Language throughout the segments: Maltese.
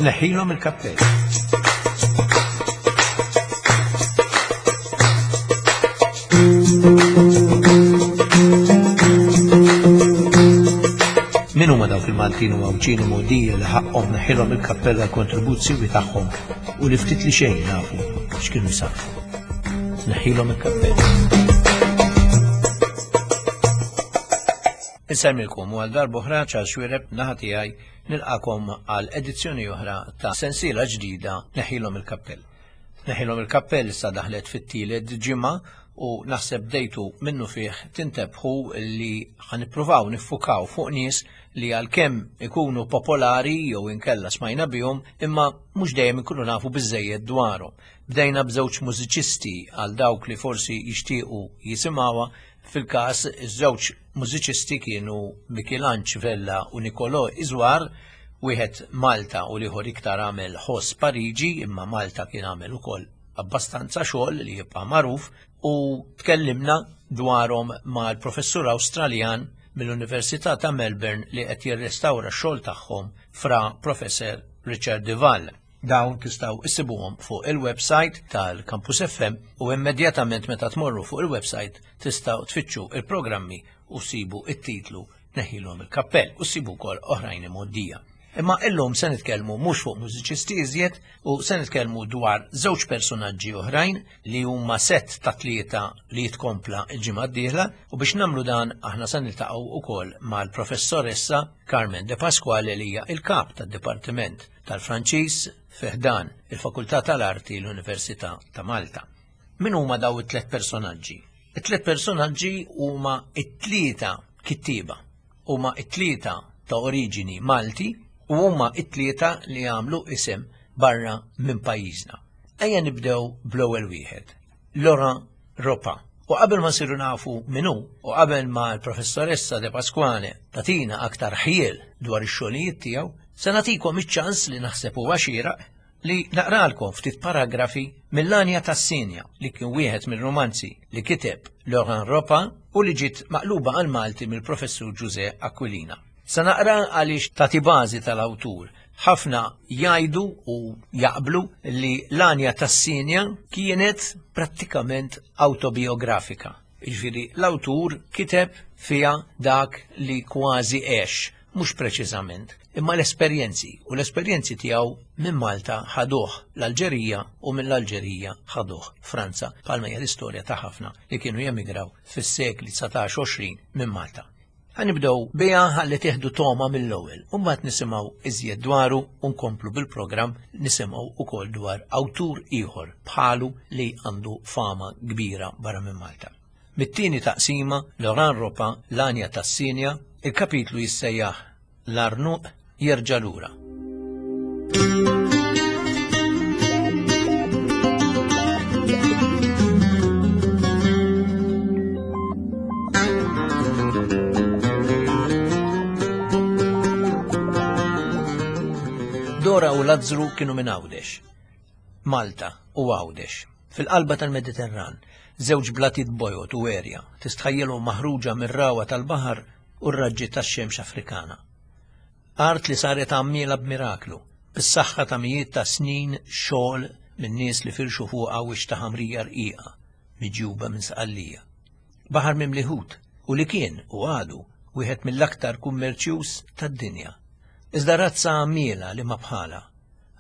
Neħħilhom il-kappell. Min huma dawk il-Maltin u Għawdxin u Mogħdija li ħaqqhom neħħilhom il-kappell għall-kontribut siwi tagħhom u li ftit li xejn nafu x'kienu jsarrfu. Neħħilhom il-kappell. Insemmilkom u għal darb'oħra Charles Xuereb naħa tiegħi nilqakom għal edizzjoni oħra ta' sensiela ġdida Neħħilhom il-kappell. Neħilhom il-kappell issa daħlet fit-tielet ġimgħa u naħseb bdejtu minnu fih tintebħu li ħa nippruvaw niffukaw fuq nies li għalkemm ikunu popolari jew inkella smajna bihom imma mhux dejjem ikunu nafu biżejjed dwarhom. Bdejna b'żewġ mużiċisti għal dawk li forsi jixtiequ jisimgħuha fil-każ iż-żewġ mużiċisti kienu Michelanġ Vella u Nicolò Iżwar, wieħed Malta u l-ieħor iktar għamel ħoss Pariġi, imma Malta kien għamel ukoll abbastanza xogħol li jibqa' magħruf u tkellimna dwarhom mal-professur Awstraljan mill-Università ta' Melbourne li qed jirrestawra x-xogħol tagħhom fra Professor Richard Duval. Dawn tistgħu issibuhom fuq il-website tal-Campus FM u immedjatament meta tmorru fuq il-website tistgħu tfittxu il-programmi u ssibu it-titlu Neħilhom il-kappell u ssibu wkoll oħrajn imgħoddija. Imma illum se nitkellmu mhux fuq mużiċisti iżjed u se nitkellmu dwar żewġ personaġġi oħrajn li huma sett ta' tlieta li jitkompla l-ġimgħa d-dieħla u biex nagħmlu dan aħna se niltaqgħu wkoll mal-professoressa Carmen De Pasquale li hija il-kap tad-Dipartiment tal-Franċiż fi ħdan il-Fakultà tal-Arti l-Università ta' Malta. Min huma daw it-tliet personaġġi? It-tliet personaġġi huma t-tlieta kittieba, huma t-tlieta ta' oriġini Malti u huma t-tlieta li għamlu isem barra minn pajjiżna. Ejja nibdew bl-ewwel wieħed, Laurent Ropa. U qabel ma nsiru nafu min hu u qabel ma l-professoressa De Pasquale tagħtina aktar ħjiel dwar ix-xogħlijiet tiegħu, se nagħtikom iċ-ċans li naħseb huwa xieraq li naqralkom ftit paragrafi mill-Għanja tas-Sinja li kien wieħed mir-rumanzi li kiteb Laurent Ropa u li ġiet maqluba għall-Malti mill-Professur Ġużè Aquilina. Se naqra għaliex tagħti bażi tal-awtur. Ħafna jgħidu u jaqblu li l-Għanja tas-Sinja kienet prattikament awtobiografika. Jiġifieri l-awtur kiteb fiha dak li kważi għex, mhux preċiżament, imma l-esperjenzi, u l-esperjenzi tiegħu minn Malta ħaduh l-Alġerija u mill-Alġerija ħaduh Franza, bħalma hija l-istorja ta' ħafna li kienu jemigraw fis-sekli 19-20 minn Malta. Ħa nibdew biha ħalli tieħdu togħma mill-ewwel u mbagħad nisimgħu iżjed dwaru u nkomplu bil-programm nisimgħu wkoll dwar awtur ieħor bħalu li għandu fama kbira barra minn Malta. Mit-tieni taqsima, Laurent Ropa, L-Għanja tas-Sinja, il-kapitlu jissejjaħ L-Għarnuq jerġa' lura. Dora u Lazzru kienu minn Għawdex. Malta u Għawdex, fil-qalba tal-Mediterran, żewġ blatiet bojod u għerja, tistħajjilhom maħruġa mir-ragħwa tal-baħar u r-raġġi tax-xemx Afrikana. Art li saret għammiela b'miraklu, bis-saħħa ta' mijiet ta' snin xogħol minn nies li firxu fuqha wiċċ ta' ħamrija rqiqa, miġjuba minn Sqallija. Baħar mimli ħut u li kien, u għadu, wieħed mill-aktar kummerċjuż tad-dinja. Iżda razza għammiela li ma bħalha.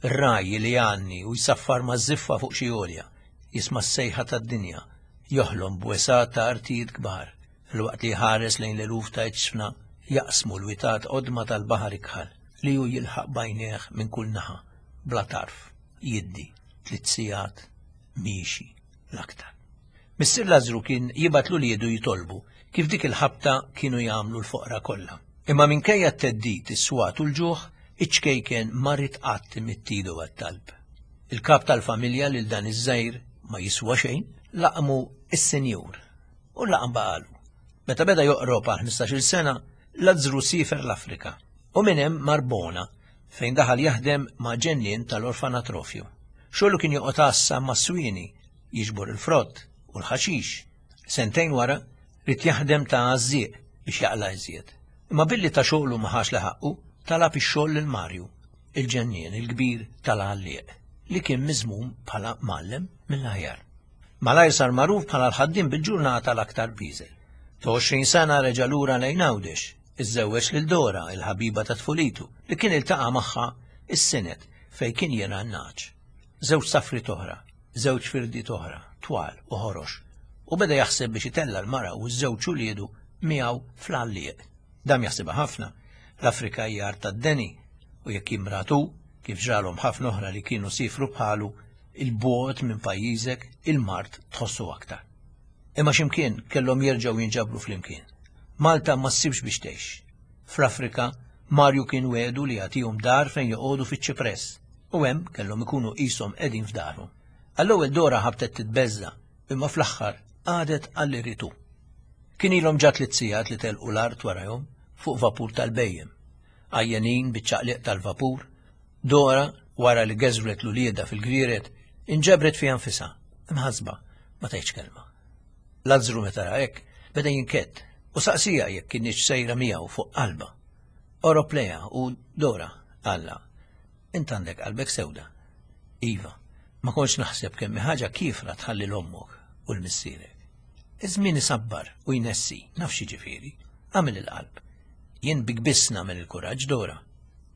Ir-ragħaj li jgħanni u jsaffar maż-żiffa fuq xi għolja, jisma' s-sejħa tad-dinja, joħlom b'wesgħat ta' artijiet kbar, filwaqt li jħares lejn l-eluf ta' iġsfna jaqsmu l-witat qodma tal-baħar ikħal li hu jilħaq b'għajnejh minn kull naħa, bla tarf, jiddi, tliet sigħat miexi l-aktar. Missier Lażru kien jibgħat l-uliedu jitolbu, kif dik il-ħabta kienu jagħmlu l-foqra kollha. Imma minkejja t-theddid, is-swat u l-ġuħ, iċ-ċkejken ma ried qatt imidd idu għat-talb. Il-kap tal-familja lil dan iż-żgħir ma jiswa xejn, laqmu s-Sinjur. U l-laqam baqalu. Meta beda joqrob għal 15-il sena, Lazzru siefer l-Afrika u minn hemm mar Bona fejn daħal jaħdem ma' ġennien tal-orfanatrofju. Xogħlu kien joqgħod għassa mas-swieni, jiġbor il-frott u l-ħaxix. Sentejn wara, ried jaħdem ta' għażżieq biex jaqla' iżjed. Imma billi ta' xogħlu ma ħax li ħaqqu, talab ix-xogħol lil Marju. il-ġennien il-kbir tal-għallieq, li kien miżmum bħala mgħallem mill-aħjar. Malajr sar magħruf bħala l-ħaddiem bil-ġurnata l-aktar bieżel. Ta' 20 sena reġa' lura lejn Għawdex, iżżewweġ lil Dora, il-ħabiba ta' tfulitu, li kien iltaqa' magħha s-Sinet fejn kien jirgħa n-nagħaġ. Żewġ safriet oħra, żewġ firdiet oħra, twal u ħorox, u beda jaħseb biex itella' l-mara u ż-żewġ uliedu miegħu fl-għallieq. Dam jaħsibha ħafna. L-Afrika hija art tad-deni u jekk jimrad hu, kif ġralhom ħafna oħra li kienu siefru bħalu, 'il bogħod minn pajjiżek, il-mard tħossu aktar. Imma x'imkien kellhom jerġgħu jinġabru flimkien. Malta ma ssibx biex tgħix. Fl-Afrika, Marju kien wegħdu li jagħtihom dar fejn joqogħdu fiċ-ċipress, u hemm kellhom ikunu qishom qegħdin f'darhom. Għall-ewwel Dora ħabtet titbeżża', imma fl-aħħar qagħdet għal li ried hu. Kien ilhom ġa tliet sigħat li telqu l-art warajhom fuq vapur tal-bhejjem. Għajjenin biċ-ċaqliq tal-vapur, Dora, wara li geżwret l-uliedha fil-gvieret, inġabret fiha nfisha, imħassba, ma tgħidx kelma. Lazzru meta ra hekk, beda jinkedd u saqsieha jekk kinitx sejra miegħu fuq qalbha. Qorob lejha u, Dora, qallha, int għandek qalbek sewda. Iva, ma kontx naħseb kemm hi ħaġa kiefra tħalli 'l ommok u 'l missierek. Iż-żmien isabbar u jnessi, naf x'jiġifieri. Agħmel il-qalb. Jien bik biss nagħmel il-kuraġġ, Dora.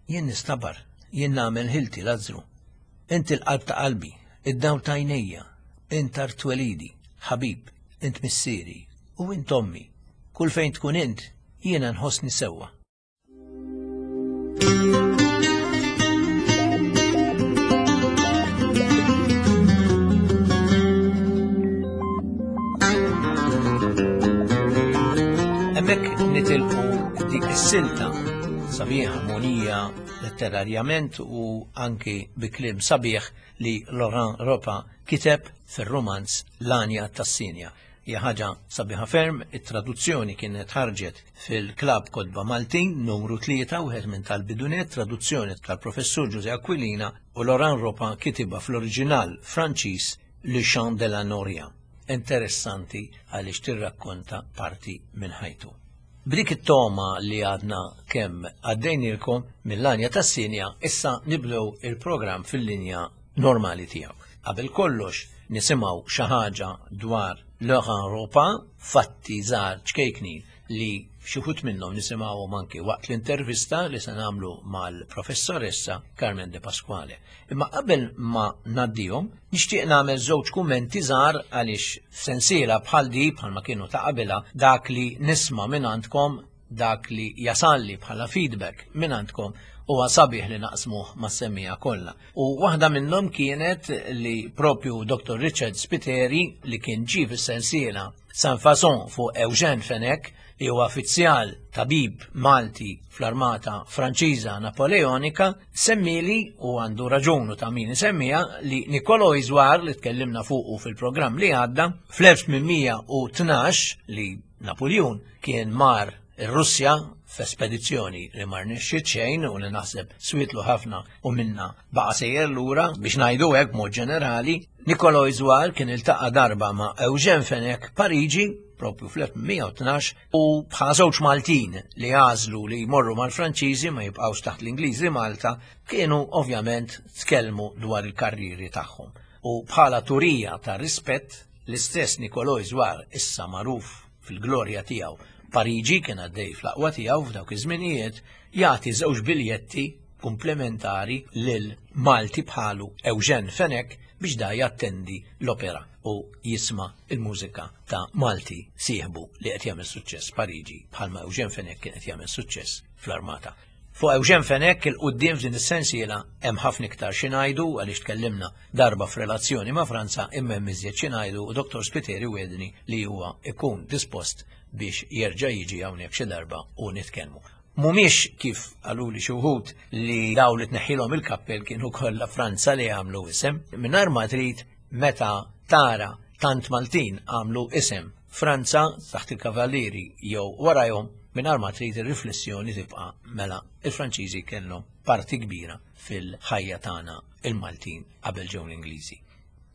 Jien nistabar, jien nagħmel ħilti, Lazzru. Int il-qalb ta' qalbi, id-dawl ta' għajnejja, int art twelidi, ħabib, int missieri, u int ommi. Kull fejn tkun int, jiena nħossni sewwa. Hemmhekk nitilqu dik is-silta sabiħa monija letterarjament u anki bi kliem sabiħ li Laurent Ropa kiteb fir-rumanz L-Għanja tas-Sinja. Hija ħaġa sabiħa ferm, it-traduzzjoni kienet ħarġet fil-Klabb Kotba Maltin numru 3, wieħed minn tal-bidunet, traduzzjoni tal-Professur Ġużè Aquilina u Laurent Ropa kitibha fl-oriġinal Franċiż Le Chant de la Noria. Interessanti għaliex tirrakkonta parti minn ħajtu. B'dik it-togħma li għadna kemm għaddejnielkom mill-għanja tas-Sinja, issa nibdew il-programm fil-linja normali tiegħu. Qabel kollox nisimgħu xi ħaġa dwar Laurent Ropa, fatti żgħar ċkejknin li xi wħud minnhom nisimgħuhom anki waqt l-intervista li se nagħmlu mal-professoressa Carmen De Pasquale. Imma qabel ma ngħaddihom, nixtieq nagħmel żewġ kummenti żgħar għaliex f'sensiela bħal di bħalma kienu ta' qabilha dak li nisma' minn għandkom dak li jasalli bħala feedback minn għandkom huwa sabiħ li naqsmuh mas-semmiegħa kollha. U waħda minnhom kienet li propju Dr. Richard Spiteri li kien ġie fis-sensiela San Fason fuq Eugène Fenech li huwa uffiċjal tabib Malti fl-Armata Franċiża Napoleonika, semmili u għandu raġun u ta' min isemmija li Niccolò Iżwar li tkellimna fuqu fil-programm li għadda fl-1812 li Napuljun kien mar ir-Russja f'espedizzjoni li ma rnexxiet xejn u li naħseb swietlu ħafna u minna baqa' sejjer lura biex ngħidu hekk b'mod ġenerali, Niccolò Iżwar kien iltaqa' darba ma' Eugène Fenech Pariġi propju fl-1812 u bħala żewġ Maltin li għażlu li jmorru mal-Franċiżi ma jibqgħux taħt l-Ingliżi Malta kienu ovvjament tkellmu dwar il-karrieri tagħhom. U bħala turija ta' rispett l-istess Niccolò Iżwar issa magħruf fil-glorja tiegħu Pariġi kien għaddej fl-aqwa tiegħu f'dawk iż-żminijiet jagħti żewġ biljetti komplementari lil Malti bħalu Eugène Fenech biex da jattendi l-opera u jisma' il-mużika ta' Malti sieħbu li qed jagħmel suċċess Pariġi bħalma Eugène Fenech kien qed jagħmel suċċess fl-armata. Fuq Eugène Fenech 'il quddiem f'din is-sensiela hemm ħafna iktar xi ngħidu għaliex tkellimna darba f'relazzjoni ma' Franza imma hemm iżjed xi ngħidu u Dottor Spiteri wegħdni li huwa jkun dispost biex jerġa' jiġi hawnhekk xi darba u nitkellmu. Mhumiex kif qaluli xi wħud li dawn li tneħħilhom il-kappell kienu kollha Franza li għamlu isem. Mingħajr ma trid meta tara tant Maltin għamlu isem Franza taħt il-Kavallieri jew warajhom mingħajr ma trid ir-riflessjoni tibqa' mela il-Franċiżi kellhom parti kbira fil-ħajja tagħna il-Maltin qabel ġew l-Ingliżi.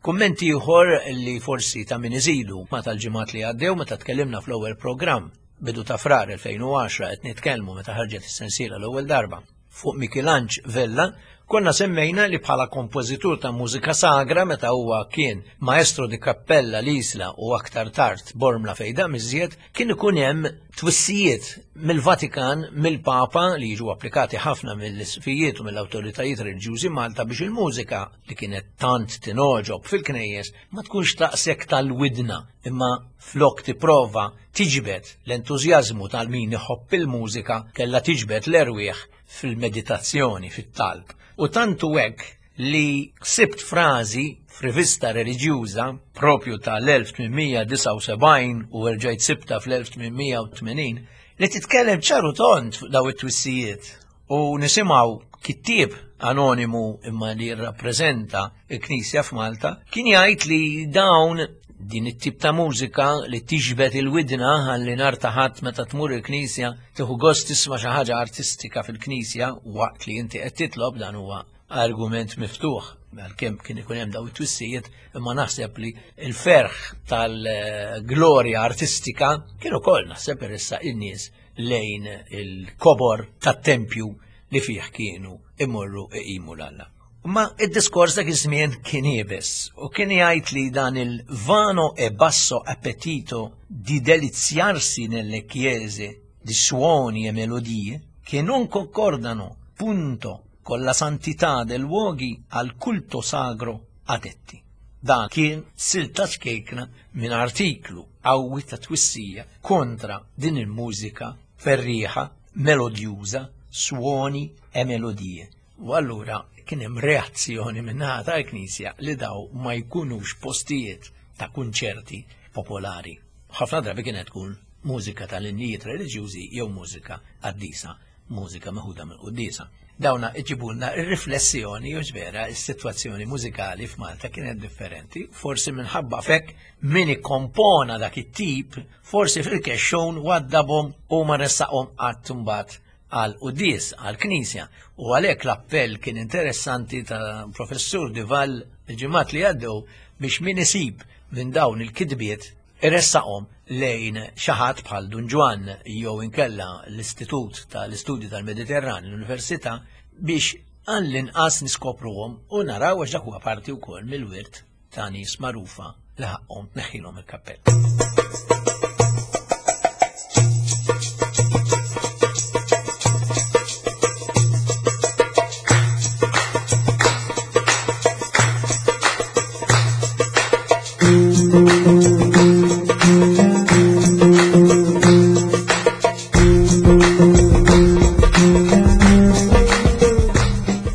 Kumment ieħor li forsi ta' min iżidu ma tal-ġimgħat li għaddew meta tkellimna fl-ewwel programm bidu ta' Frar 2010 qed nitkellmu meta ħarġet is-sensiela l-ewwel darba fuq Mikilanġ Vella. Konna semmejna li bħala kompożitur ta' mużika sagra meta huwa kien maestro di cappella l-Isla u aktar tard Bormla fejda miżjed, kien ikun hemm twissijiet mill-Vatikan, mill-Papa li jiġu applikati ħafna mill-isqfijiet u mill-awtoritajiet reliġjużi Malta biex il-mużika li kienet tant tingħoġob fil-knejjes ma tkunx taqsek tal-widna imma flok tipprova tiġbed l-entużjażmu tal-min iħobb il-mużika kellha tiġbed l-erwieħ fil-meditazzjoni, fit-talb. U tantu hekk li sibt frażi f'rivista reliġjuża propju tal-1879 u rġajt sibta fl-1880 li titkellem ċaru tond fuq daw it-twissijiet u nisimgħu kittieb anonimu imma li jirrappreżenta il-Knisja f'Malta kien jgħid li dawn din it-tip ta' mużika li tiġbed il-widna ħalli nhar ta' ħadd meta tmur il-knisja tieħu gost tisma' xi ħaġa artistika fil-knisja waqt li inti qed titlob dan huwa argument miftuħ għalkemm kien ikun hemm daw it-twissijiet imma naħseb li l-ferħ tal-glorja artistika kien ukoll naħseb irissa in-nies lejn il-kobor tat-tempju li fih kienu imorru iqimu l-Alla. Ma id-diskors dak iż-żmien kien iebes u kien jgħid li dan il-vano e basso appetito di deliziarsi nelle chiese di suoni e melodie che non concordano punto con la santità del luoghi al culto sacro adetti. Dan kien silta ċkejkna minn artiklu qawwi ta' twissija kontra din il-mużika ferrieħa, melodjuża, suoni e melodie. U allura kien hemm reazzjoni min-naħa tal-Knisja li daw ma jkunux postijiet ta' kunċerti popolari. Ħafna drabi kienet tkun mużika tal-innijiet reliġjużi jew mużika qaddisa, mużika meħuda mill-quddiesa. Dawna iġibulna r-riflessjoni u vera s-sitwazzjoni mużikali f'Malta kienet differenti, forsi minħabba fekk min ikkompona dak it-tip, forsi fil-kexxun waddabhom u ma ressaqhom qatt imbagħad għal quddies, għal knisja. U għalhekk l-appell kien interessanti ta' professur Dival il-ġimgħat li għaddew biex min isib minn dawn il-kitbiet iressaqhom lejn xi ħadd bħal Dun Ġwann jew inkella l-Istitut tal-Istudji tal-Mediterran, l-Università, biex għall-inqas niskopruhom u naraw għax dak huwa parti wkoll mill-wirt ta' nies magħrufa li ħaqqhom tneħħilhom il-kappell.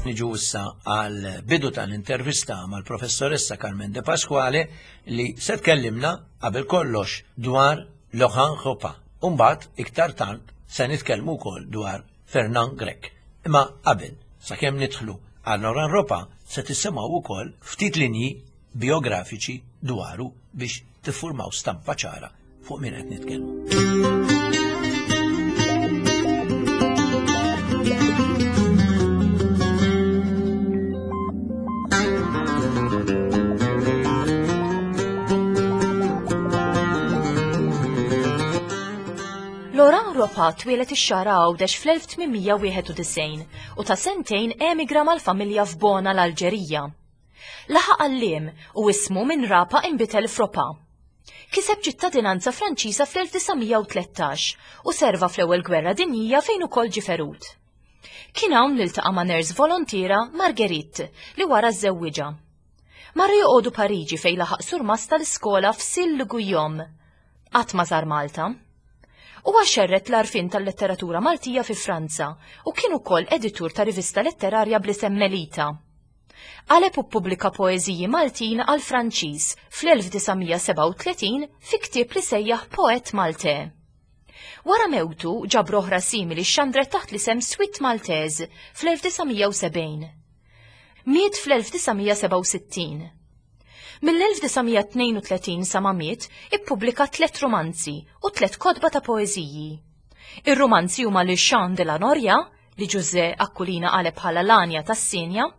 Niġu issa għal bidu tal-intervista mal-professoressa Carmen De Pasquale li se tkellimna qabel kollox dwar Laurent Ropa. Umbagħad iktar tard se nitkellmu wkoll dwar Fernand Grech. Imma qabel, sakemm nidħlu għal Laurent Ropa se tisimgħu wkoll ftit linji biografiċi dwaru biex tiffurmaw stampa ċara fuq min qed nitkellmu. Laurent Ropa twieled ix-Xagħra Għawdex fl-1891 u ta' sentejn emigra mal-familja f'Bona l-Alġerija. Laħaq għalliem u ismu minn Rapa inbidel f'Ropa. Kiseb ċittadinanza Franċiża fl-1913 u serva fl-Ewwel Gwerra Dinjija fejn ukoll ġie ferut. Kien hawn li ltaqa' ma' nurse volontiera Marguerite li wara żżewwiġha. Marru joqogħdu Pariġi fejn laħaq surmast tal-iskola f'Sil-Guillaume. Qatt ma żar Malta. Huwa xerred l-għarfien tal-letteratura Maltija fi Franza u kien ukoll editur ta' rivista letterarja bl-isem Melita. Qaleb u ppubblika poeżiji Maltin għall-Franċiż fl-1937 fi ktieb li sejjaħ Poète Maltais. Wara mewtu, ġabra oħra simili xxandret taħt l-isem Suite Maltaise fl-1970. Miet fl-1967. Mill-1932 sa ma miet, ippubblika tliet rumanzi u tliet kotba ta' poeżiji. Ir-rumanzi huma Le Chant de la Noria, li Ġużè Aquilina qaleb bħala l-għanja tas-Sinja,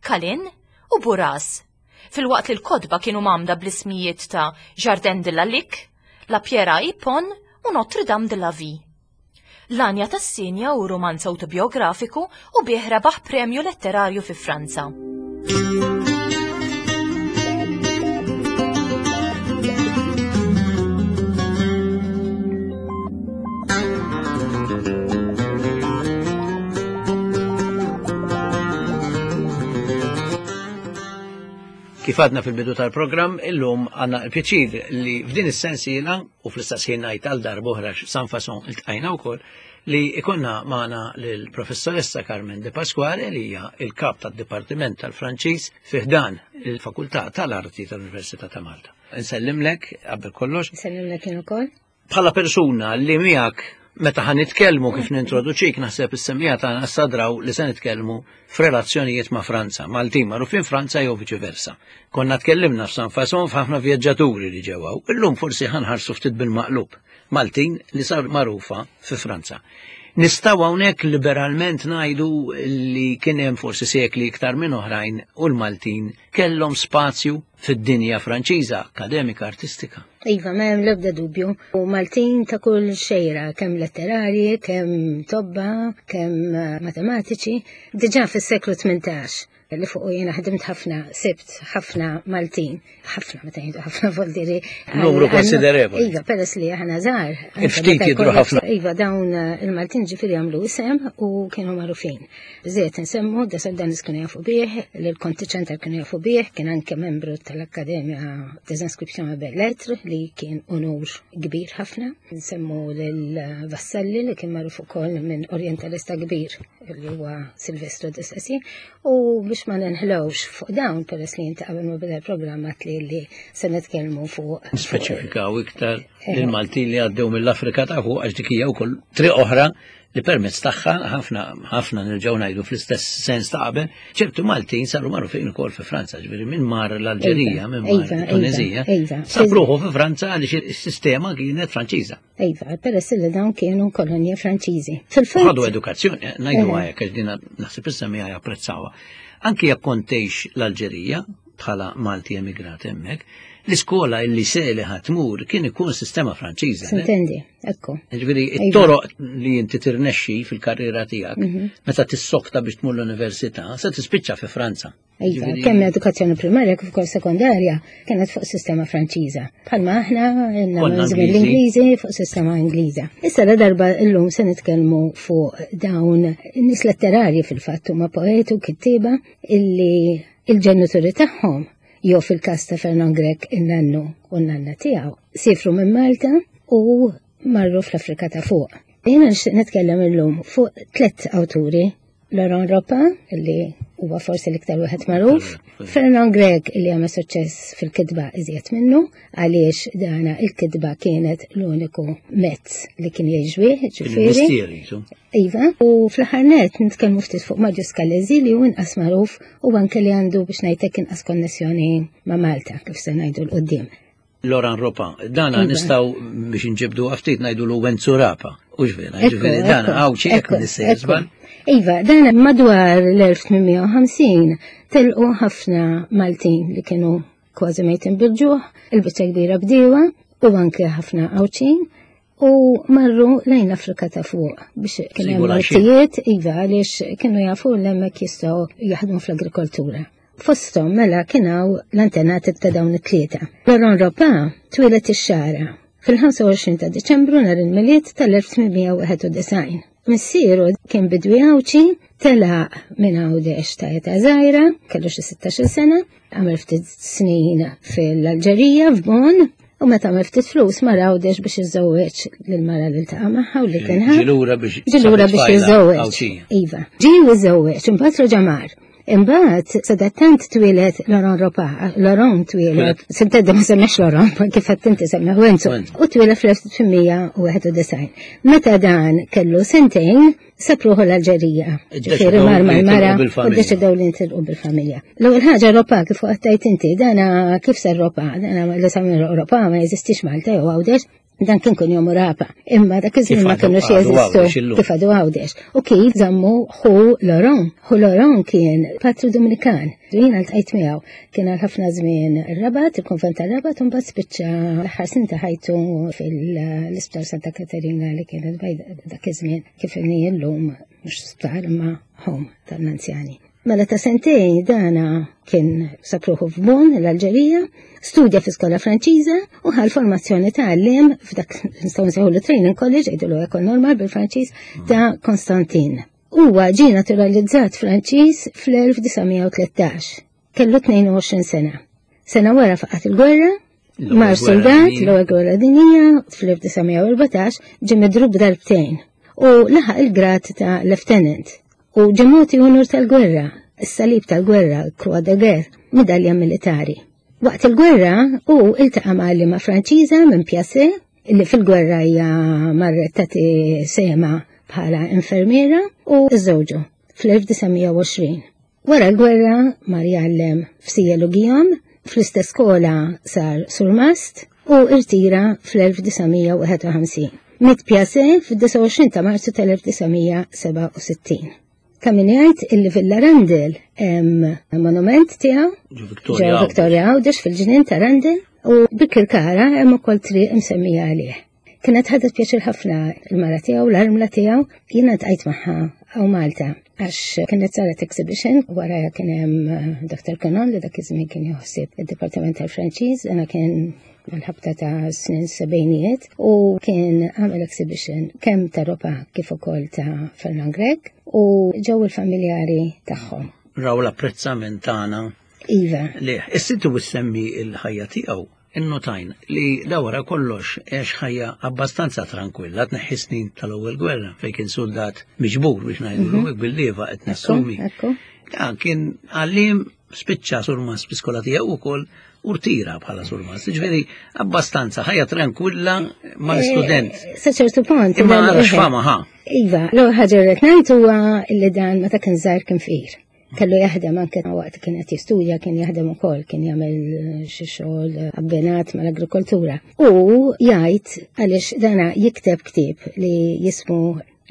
Kalin u Buras, filwaqt li l-kotba kienu mgħammda bl-ismijiet ta' Jardin de la Lique, La Pierre à Hippone u Notre Dame de la Vie. L-Għanja tas-Sinja hu rumanz awtobiografiku u bih rebaħ premju letterarju fi Franza. Kif għadna fil-bidu tal-programm, illum għanna l-pjaċir li f'din is-sensiela u fl-istess ħin ngħid għal darb'oħra San Fason iltqajna wkoll li ikonna magħna lill-professoressa Carmen De Pasquale li hija il-kap tad-Dipartiment tal-Franċiż fi ħdan il-Fakultà tal-Arti tal-Università ta' Malta. Nsellimlek qabel kollox. Nsellimlek jien ukoll. Bħala persuna li miegħek meta ħan nitkellmu kif nintroduċik naħseb is-semmiegħa tagħna sadraw li se nitkellmu f'relazzjonijiet ma' Franza, Maltin magħrufin Franza jew viċi versa. Konna tkellimna f'San Fason f'ħafna vjaġġaturi li ġew hawn. Illum forsi ħanħarsu ftit bil-maqlub. Maltin li sar magħrufa fi Franza. Nistgħu hawnhekk liberalment ngħidu li kien hemm forsi sekli iktar minn oħrajn u l-Maltin kellhom spazju fid-dinja Franċiża, akademika, artistika. Iva, ma hemm l-ebda dubju. U Maltin ta' kull xejra, kemm letterarji, kemm tobba, kemm matematiċi, diġà fis-seklu 18 li fuq jiena ħdimt ħafna, sibt ħafna Maltin, ħafna meta jgħidu ħafna voldiri. Numru konsiderevoli. Iva, peress li aħna żgħar. Ftit jidhru ħafna. Iva, dawn eh, il-Maltin ġifieri għamlu isem u kienu magħrufin. Żied insemmu, Desaldanis kienu jafu bih, l-Konti Ċentar kienu jafu bih, kien anke membru tal-Akkademja des Inscriptions et Belles Lettres li kien unur kbir ħafna. Nsemmu lil Vassalli li kien magħruf ukoll minn orientalista kbir li huwa Silvestro de Sacy u biex ma nenħlewx fuq dawn peress li inti qabel ma beda l-programm li li se nitkellmu fuq. Nispeċifikaw iktar il-Maltin li għaddew mill-Afrika ta' fuq għax dik hija wkoll triq oħra li permezz tagħha ħafna ħafna nerġgħu ngħidu fl-istess sens ta' qabel, ċertu Maltin saru magħrufin ukoll fi Franza, ġifieri minn mar l-Alġerija, minn mar Tunezija, sab ruħu fi Franza għaliex is-sistema kienet Franċiża. Iva, peress li dawn kienu kolonja Franċiżi. Fil-fatt. Ħadu edukazzjoni, ngħidu hekk għax dina naħseb issa miegħi japprezzawha. Anki jekk kont tgħix l-Alġerija bħala Malti emigrat hemmhekk, l-iskola illi se li ħatmur kien ikun sistema Franċiża. Sintendi, ekku. Ġifieri it-toroq li inti tirnexxi fil-karriera tiegħek meta tissokta biex tmur l-università se tispiċċa fi Franza. Iva, kemm edukazzjoni primarja kif ukoll sekondarja kienet fuq sistema Franċiża. Bħalma aħna żmien l-Ingliżi fuq sistema Ingliża. Issa la darba llum se nitkellmu fuq dawn nies letterarji fil-fatt huma poeti u kittieba illi il-ġenituri tagħhom jew fil-każ ta' Fernand Grech in-nannu u n-nanna tiegħu sifru minn Malta u marru fl-Afrika ta' fuq. Jiena nixtieq nitkellem illum fuq tliet awturi Laurent Ropin, li huwa forsi l-iktar wieħed magħruf, Fernand Grech li għamel suċċess fil-kitba iżjed minnu, għaliex dana il-kitba kienet l-uniku mezz li kien jgħix ġifieri. Iva, u fl-aħħar net nitkellmu ftit fuq Marius Scalesi li hu inqas magħruf u anke li għandu biex ngħidlek inqas konnessjoni ma' Malta kif se ngħidu 'l quddiem. Laurent Ropin, dana iva. nistgħu biex nġibdu ftit ngħidu l Wenzu Rapa, u ġvera, ġifieri dana għaw ċek nissejżban. Iva, dana madwar l-1850 telqu ħafna Maltin li kienu kważi mejtin bil-ġuħ, il-biċċa kbira bdiewa u anke ħafna Għawdxin u marru lejn l-Afrika ta' fuq biex kien hemm artijiet iva għaliex kienu jafu l-hemmhekk jistgħu jaħdmu fl-agrikoltura. Fosthom mela kien hawn l-antenati ta' dawn it-tlieta. Laurent Ropin twieled ix-Xagħra fil-25 ta' Diċembru nhar il-Milied tal-1891. Missieru kien bidwi Għawdxi, telaq minn Għawdex ta' età żgħira, kellu xi 16 sena, għamel ftit snin fil-Alġerija f'Bon, u meta għamel ftit flus mar Għawdex biex jiżżewweġ lill-mara li ltaqa' magħha u li kien ħa. Ġie lura biex Ġie lura biex jiżżewweġ. Iva. Ġie jiżżewweġ, imbagħad reġa' mar. Imbagħad sadattant twieled Laurent Ropin, Laurent twieled, s'intedda ma semmex Laurent, kif qed inti semmeħ Wenzu, u twieled fl-1891. Meta dan kellu sentejn, sab ruħu l-Alġerija. Ġifieri mar mal-mara u ddeċidew li ntilqu bil-familja. L-ewwel ħaġa Ropin kif qed inti, dana kif sar Ropin, dana li sammi Ropin ma jeżistix Malta jew Għawdex. Dan kien kun jomu rapa, imma dak iż-żmien ma kienux jeżistu kif għadu Għawdex. U kif żammu ħu Loron. Ħu Loron kien patru Dominikan. Jiena ltqajt miegħu kien għal ħafna żmien ir-Rabat, il-konvent tar-Rabat, u mbagħad spiċċa l-aħħar snin ta' ħajtu fil-Isptar Santa Katerina li kienet bajda dak iż-żmien kif inhi llum mhux sptar imma home tal-anzjani. Mela ta' sentejn dana kien sapruħu f'Bon, l-Alġerija, studja fi skola Franċiża u ħal formazzjoni ta' għalliem f'dak nistgħu nsejħu training college jgħidulu ekol normal bil-Franċiż ta' Konstantin. Huwa ġie naturalizzat Franċiż fl-1913. Kellu 22 sena. Sena wara faqat il-gwerra, mar soldat l-ewwel gwerra dinjija fl-1914 ġie midrub darbtejn u laħaq il-grad ta' lieutenant u ġie mogħti unur tal-gwerra, is-salib tal-gwerra, Croix de Guerre, midalja militari. Waqt il-gwerra hu iltaqa' ma' għalliema Franċiża minn Piacé li fil-gwerra hija marret tagħti sehemha bħala infermiera u żżewġu fl-1920. Wara l-gwerra mar jgħallem f'Sijel u Guillaume, fl-istess skola sar surmast u irtira fl-1951. Miet Piacé fid-29 ta' Marzu tal-1967. Ta' min jgħid illi Villa Randel hemm monument tiegħu ġo Victoria Għawdex fil-ġnien ta' Randel u Bikirkara hemm ukoll triq imsemmija għalih. Kienet ħadet pjaċir ħafna il-mara tiegħu, l-armla tiegħu, jiena tqajt magħha hawn Malta għax kienet saret exhibition wara kien hemm eh, Dr. Canon li dak iż-żmien kien joħsib id-Dipartiment tal-Franċiż, dana kien mal-ħabta ta' snin sebejnijiet u kien għamel exhibition kemm ta' Ropa kif ukoll ta' Fernand Grech u ġew il-familjari tagħhom. Raw l-apprezzament tagħna. Iva. Le, is-situ semmi l-ħajja tiegħu Innotajn li da wara kollox għex ħajja abbastanza trankwilla tneħħi snin tal-ewwel gwerra fejn kien suldat miġbur biex ngħidulu mhm. hekk bil-lieva qed nassumi. Dan kien għallim spiċċa surmas bi-skola tiegħu wkoll u rtira bħala surmas. Ġifieri abbastanza ħajja trankwilla mal-istudent. Eh, sa ċertu punt. Imma għarax fama ħa. Iva, l-ewwel ħaġa li qed ngħid huwa li dan meta kien żgħir kien fqir. Kellu jaħdem anke waqt kien qed jistudja kien jaħdem ukoll, kien jagħmel eh, xi xogħol eh, abbinat mal-agrikoltura. U jgħid għaliex dana jikteb ktieb li jismu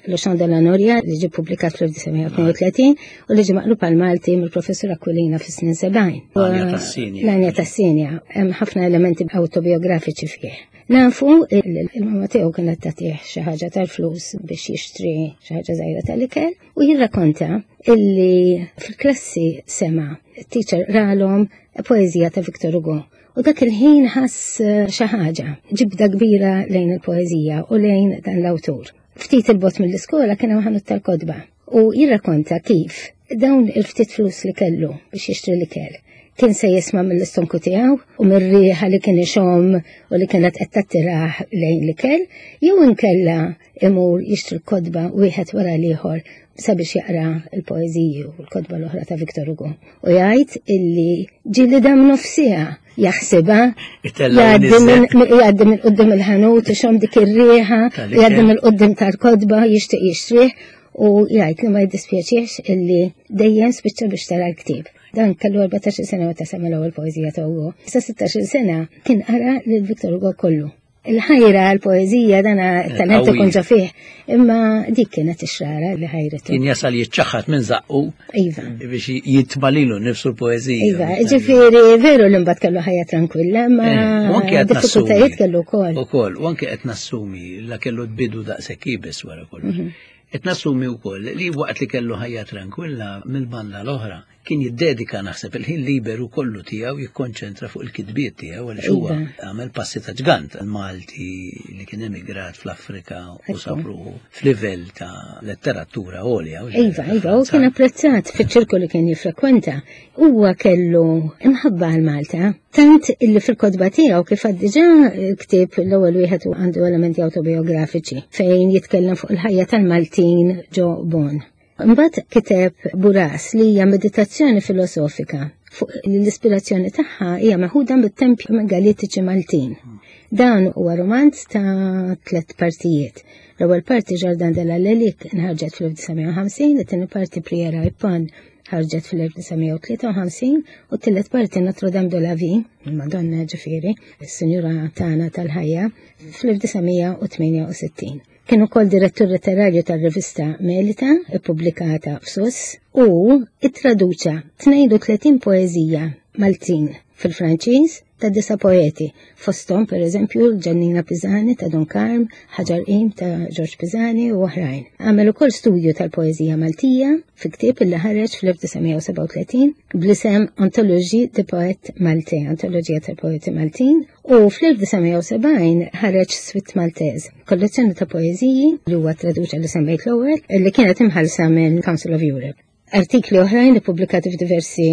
Le Chant de la Noria li ġie publikat fl-1932 u li ġie maqlub għal Malti mill-professur Aquilina fis-snin 70. L-Anja tas-Sinja. Hemm ħafna elementi autobiografiċi fih. Nafu il-mama tiegħu kienet tagħtih xi ħaġa tal-flus biex jixtri xi ħaġa żgħira tal-ikel U jirrakonta illi fil-klassi sema teacher ralhom poeżija ta' Victor Hugo. U dak il-ħin ħass eh, xi ħaġa, ġibda kbira lejn il-poeżija u lejn dan l-awtur. Ftit il-bot mill-iskola kien hemm ħanut tal-kodba u jirrakonta kif dawn il-ftit flus li kellu biex jixtri l-ikel kien se jisma' mill-istonku tiegħu u mir-riħa li kien ixomm u li kienet qed tattirah lejn l-ikel, jew inkella imur jixtri l-kotba wieħed wara l-ieħor sabiex jaqra l-poeżiji u l-kotba l-oħra ta' Victor Hugo. U jgħid illi ġieli dam nofsija jaħsibha jgħaddi minn qudiem il-ħanut ixomm dik ir-riħa, jgħaddi minn qudiem tal-kotba jixtieq jixtrih u jgħid li ma jiddispjaċiex illi dejjem spiċċa biex tara l-ktieb. Dan kellu 14 sena meta sema l-ewwel poeżija ta' Hugo. Sa 16 sena kien qara lil Victor Hugo kollu. Il-ħajra għal-poezija dana eh, talent ikun ġo fih, imma dik kienet ix-xrara li ħajretu. Kien jasal jiċċaħħat minn zaqqu. Iva. Biex jitmalilu nifsu l-poezija. Iva, ġifieri veru li mbagħad kellu ħajja tranquilla, ma eh, diffikultajiet kellu wkoll. Ukoll, u anke qed nassumi la kellu tbidu daqshekk ibes wara kollox. Mhm. Qed nassumi wkoll li waqt li kellu ħajja tranquilla mill-banda l-oħra kien jiddedika naħseb il-ħin liberu kollu tiegħu jikkonċentra fuq il-kitbiet tiegħu għaliex huwa iva. għamel passi ta' ġgant Malti li kien emigrat fl-Afrika u sabruħu f'livell ta' letteratura għolja. Iva, iva, u kien apprezzat fiċ-ċirku li kien jiffrekwenta. Huwa kellu imħabba għal Malta, tant illi fil-kotba tiegħu kif għad diġà ktieb l-ewwel wieħed għandu elementi autobiografiċi fejn jitkellem fuq il-ħajja tal-Maltin ġo Bon. Imbagħad kiteb Buras li hija meditazzjoni filosofika fuq l-ispirazzjoni tagħha hija meħuda mit-tempji megalitiċi Maltin. Dan huwa romanz ta' tliet partijiet. L-ewwel parti Jardin de la Lelik inħarġet fl-1950, it-tieni parti Priera Ippon ħarġet fil-1953 u t-tielet parti Notre Dame de la Vie, il-Madonna ġifieri, is-Sinjura tagħna tal-ħajja, fl-1968. Kien ukoll direttur letterarju tar-rivista Melita, ippubblikata f'Sus, u ittraduċa 32 poeżija Maltin fil-Franċiż ta' disa poeti, fosthom pereżempju Ġannina Pisani ta' Dun Karm, Ħaġar Qim ta' Ġorġ Pisani u oħrajn. Għamel ukoll studju tal-poeżija Maltija fi ktieb li ħareġ fl-1937 bl-isem Anthologie de Poètes Maltais, Antoloġija tal-Poeti Maltin, u fl-1970 ħareġ Suite Maltaise, kollezzjoni ta' poeżiji li huwa traduċa li semmejt l-ewwel li kienet imħallsa minn Council of Europe. Artikli oħrajn ippubblikati f'diversi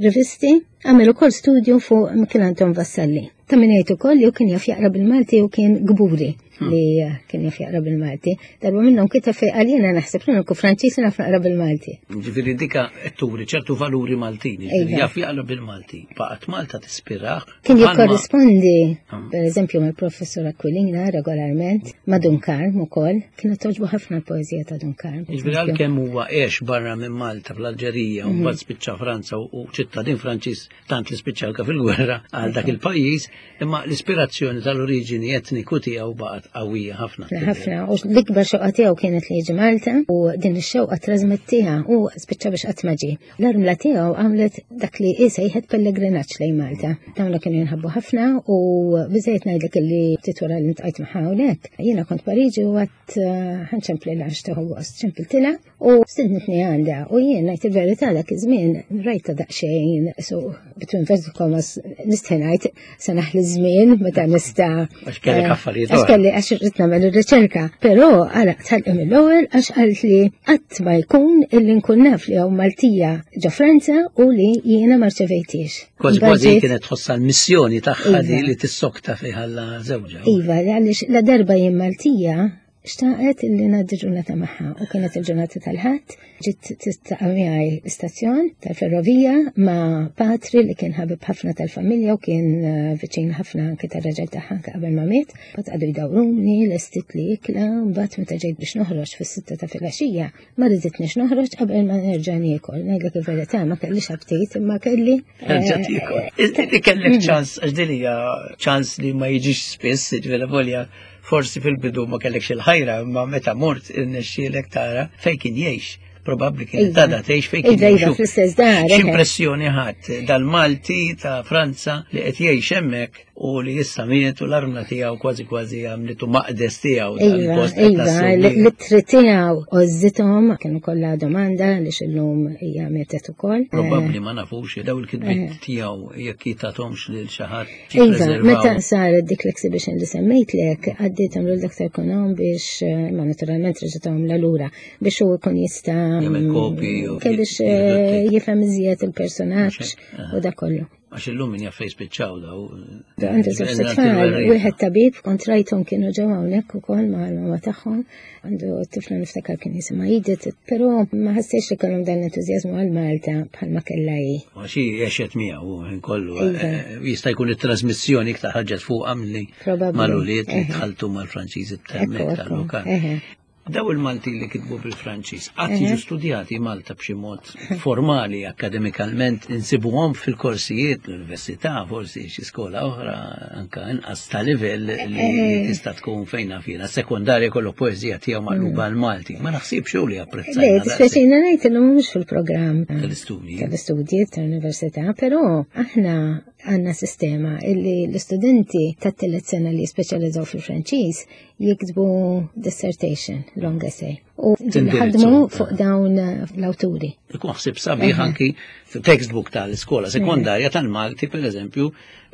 rivisti, għamel ukoll studju fuq Mikiel Anton Vassalli. Ta' min jgħid ukoll li kien jaf jaqra bil-Malti u kien gburi li kien jaf jaqra bil-Malti. Darba minnhom kiteb fejn qal jiena naħseb li nkun Franċiż naf naqra bil-Malti. Ġifieri dika qed turi ċertu valuri Maltin, ġifieri iva. jaf jaqra bil-Malti. Baqgħet Malta tispirah. Kien jikkorrispondi, ah. per eżempju, mal-professur Aquilina regolarment, ma' Dun Karm ukoll, kienet toġbu ħafna l-poeżija ta' Dun Karm. Ġifieri għalkemm huwa għex barra minn Malta fl-Alġerija u mhm. mbagħad spiċċa Franza u ċittadin Franċiż tant li spiċċa anke fil-gwerra għal dak il-pajjiż, imma l-ispirazzjoni tal-oriġini etniku tiegħu baqgħet qawwija ħafna. Ħafna, u l-ikbar xewqa tiegħu kienet li jiġi Malta u din ix-xewqa trasmettiha u spiċċa biex qatt ma ġie. L-armla tiegħu għamlet dak li hi sejħet pellegrinaġġ lejn Malta. Dawn kienu jinħabbu ħafna u biżejjed ngħidlek illi ftit wara li ntqajt magħha hawnhekk. Jiena kont Pariġi u għadt eh, ħanċempli għax tieħu gost, ċempiltilha U stidnitni għandha u jien ngħid il-verità dak iż-żmien rajta daqsxejn so between first commas nistħi ngħid se naħli żmien meta nista' għax kellek eh, affarijiet. Għax kelli għax irrid nagħmel ir-riċerka. Però għala tħallqi mill-ewwel għax qalt li qatt ma jkun illi nkun naf li hawn Maltija ġo Franza u li jiena ma rċevejtix. Kważi kważi kienet tħossha l-missjoni tagħha iva. li tissokta fejn żewġha. Iva, għaliex la darba jien Maltija Xtaqet illi ngħaddi ġurnata magħha u kienet il-ġurnata tal-ħadd, ġiet tistaqa' miegħi l-istazzjon tal-ferrovija ma' patri li kien ħabib ħafna tal-familja u kien eh, viċin ħafna anke tar-raġel tagħha anke qabel ma miet. Mbagħad qagħdu jdawruni, lestit li ikla, mbagħad meta ġejt biex noħroġ fis-sitta ta' filgħaxija, ma riditniex noħroġ qabel ma nerġa' niekol. Ngħidlek il-verità ma kellix aptit imma kelli. Eh, Nerġa' tiekol. Inti kellek ċans għax din hija ċans li ma jiġix spiss, ġifieri volja Forsi fil-bidu ma kellekx il-ħajra, imma meta mort irnexxielek tara fejn kien jgħix. Probabbli kien iva. tada tgħix fejn kien iva, iva, jgħix. fl-istess dar. X'impressjoni ħadd dal-Malti ta' Franza li qed jgħix hemmhekk u li issa miet u l-armla tiegħu kważi kważi għamlitu maqdes tiegħu iva, iva, l-ittri tiegħu għożżithom kienu kollha domanda li xillum hija mietet ukoll. Probabbli ma nafux daw il-kitbiet eh. tiegħu jekk jitathomx lil xi ħadd. Iva, meta saret dik l-exhibition li semmejtlek, għaddietom lil Dr. Konon biex, eh, ma naturalment reġgħethom la lura, biex hu jkun jista' biex eh, jifhem iżjed il-personaġġ u dak kollu. Għax illum min jaf fejn spiċċaw daw. Għandu żewġ tfal, wieħed tabib kont rajthom kienu ġew hawnhekk ukoll mal-mama tagħhom. Għandu tifla niftakar kien jisimha Edith, però ma ħassejx li kellhom dan l-entużjażmu għal Malta bħalma kellha hi. Għax hi għexet miegħu ħin kollu. Iva. Eh, jista' jkun it-trasmissjoni iktar ħarġet fuqha milli mal-ulied li tħaltu mal-Franċiżi tal-mek tal-lokal. Daw il-Malti li kitbu bil-Franċiż, qatt jiġu studjati Malta b'xi mod formali, akademikalment, insibuhom fil-korsijiet l-università, forsi xi skola oħra, anka inqas ta' livell li eh. tista' tkun fejn naf jiena. Sekondarja kollu poeżija tiegħu maqluba mm. għal-Malti. Ma naħsibx li apprezzajna. Le, dispjaċina ngħid li mhux fil-programm tal-istudji. Tal-istudji tal-università, però aħna għandna sistema illi l-istudenti tat-tielet sena li speċjalizzaw fil-Franċiż jiktbu dissertation, long essay. U ħadmu fuq dawn l-awturi. Ikun ħsib sabiħ anki textbook tal-iskola sekondarja tal-Malti, per eżempju,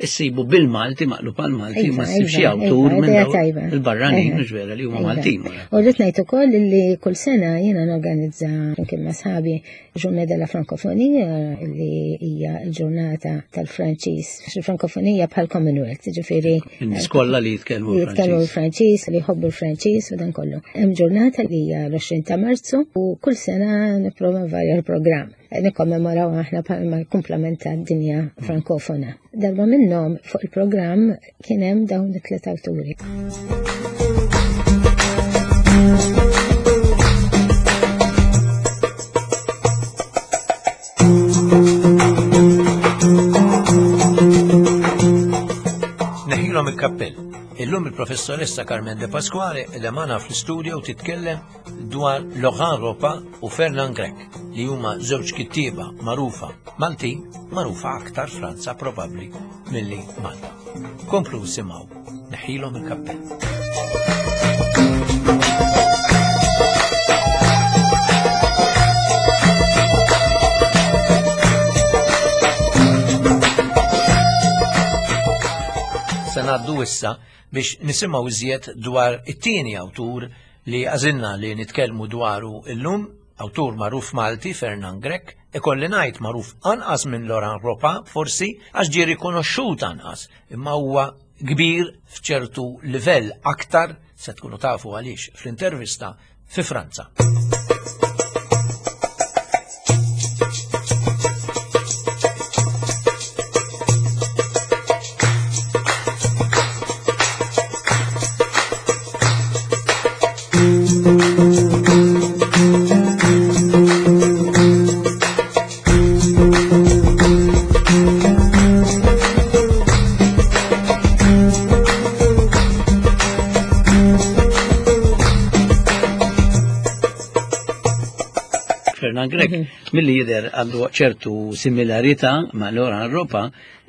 issibu bil-Malti maqlub għal-Malti iva, ma ssib xi iva, awtur iva, minn il-barranin mhux vera li huma Maltin. U rrid ngħid ukoll li kull sena jiena norganizza flimkien ma' sħabi Journée de la Francophonie li hija l-ġurnata tal-Franċiż. Il-Frankofonija bħal Commonwealth, ġifieri. In-nies kollha li jitkellmu jitkellmu l-Franċiż, li jħobbu l-Franċiż u dan kollu. Hemm ġurnata li hija l-20 ta' Marzu u kull sena nipprova nvarja l-programm. Nikkommemoraw aħna bħalma l-kumplament tad-dinja frankofona. Darba minnhom fuq il-programm kien hemm dawn it-tliet awturi. Il-professoressa Carmen De Pasquale qiegħda magħna fl-istudio titkellem dwar Laurent Ropa u Fernand Grech li huma żewġ kittieba magħrufa Maltin, magħrufa aktar Franza probabbli milli Malta. Komplu simgħu, neħilhom il-kappell. Se ngħaddu issa biex nisimgħu iżjed dwar it-tieni awtur li għażilna li nitkellmu dwaru illum, awtur magħruf Malti, Fernand Grech, ikolli ngħid magħruf anqas minn Laurent Ropa, forsi għax ġie rikonoxxut anqas, imma huwa kbir f'ċertu livell aktar se tkunu tafu għaliex fl-intervista fi Franza. Fernand Grech, milli jidher għandu ċertu similarità ma' Laurent Ropa,